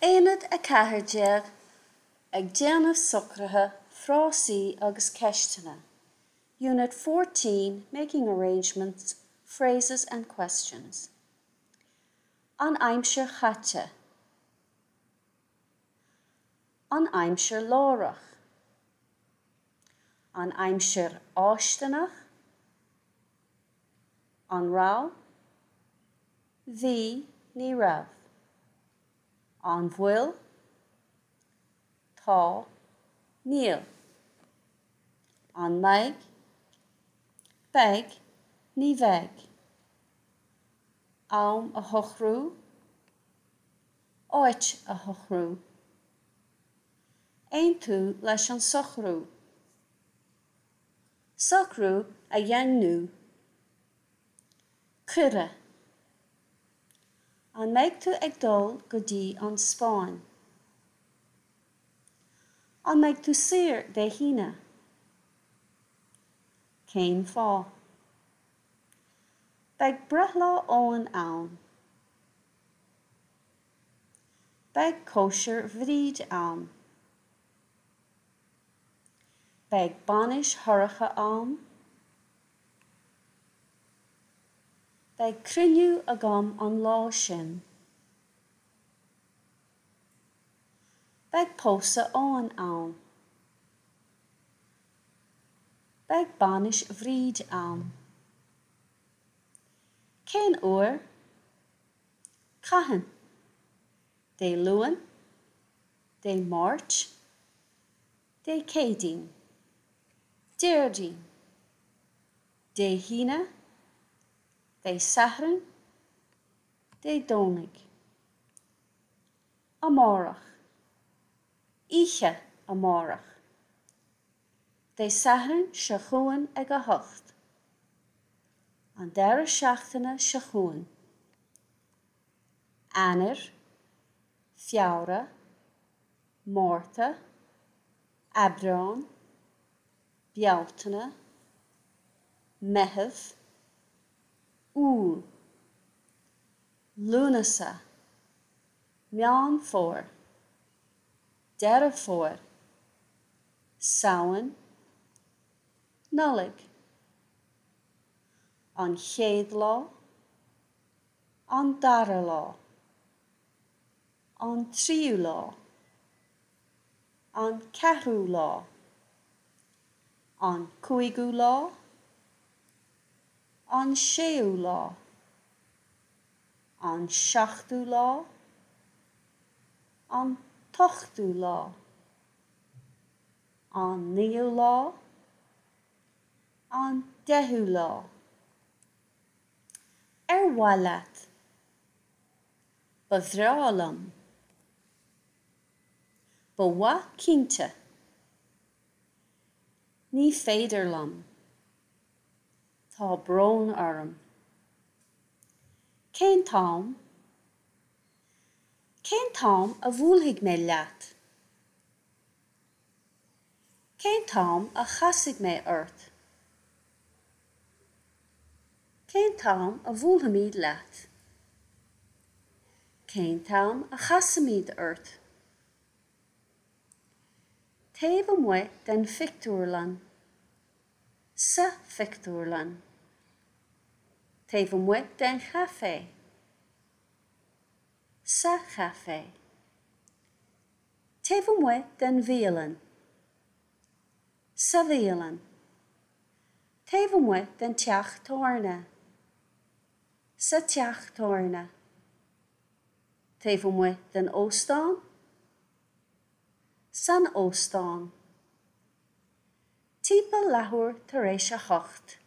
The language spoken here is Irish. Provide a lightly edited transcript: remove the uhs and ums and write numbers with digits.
Aonad 14, Ag déanamh socruithe, frásaí agus ceisteanna Unit 14, Making arrangements, phrases and questions An aimsir chaite An aimsir láithreach An aimsir fháistineach An raibh? Bhí, ní raibh. An bhfuil? Tá, níl. An mbeidh? Beidh, ní bheidh. Am a shocrú, áit a shocrú. Aontú leis an socrú. Socrú a dhaingniú. Cuireadh. An mbeidh tú ag dul go dtí an Spáinn? An mbeidh tú saor Dé hAoine? Cén fáth? Beidh breithlá Eoin ann. Beidh cóisir Bhríd ann. Beidh bainis Shorcha ann. Beidh cruinniú agam an lá sin. Beidh pósadh Eoin ann. Beidh bainis Bhríd ann. Cén uair? Cathain? Dé Luain? Dé Máirt? Dé Céadaoin. Déardaoin. Dé hAoine. Dé Sathairn. Dé Domhnaigh. Amárach. Oíche amárach. Dé Sathairn seo chugainn ag a hocht. An deireadh seachtaine seo chugainn. Eanáir, Feabhra, Márta, Aibreán, Bealtaine, Meitheamh, Iúil, Lúnasa, Meán Fómhair, Deireadh Fómhair, Samhain, Nollaig, An chéad lá, An dara lá. An tríú lá. An ceathrú lá. An cúigiú lá. An séú lá. An seachtú lá. An t-ochtú lá. An naoú lá. An deichiú lá. Ar mhaith leat? Ba bhreá liom. Ba mhaith cinnte. Ní féidir liom. Tá brón orm. Cén t-am? Cén t-am a bhuailfidh mé leat? Cén t-am a chasfaidh mé ort? Cén t-am a bhuailfimid leat? Cén t-am a chasfaimid ort? Taobh amuigh den phictiúrlann. Sa phictiúrlann. Taobh amuigh den chaifé. Sa chaifé. Taobh amuigh den bhialann. Sa bhialann. Taobh amuigh den teach tábhairne. Sa teach tábhairne. Taobh amuigh den óstán. San óstán. Timpeall leathuair tar éis a hocht.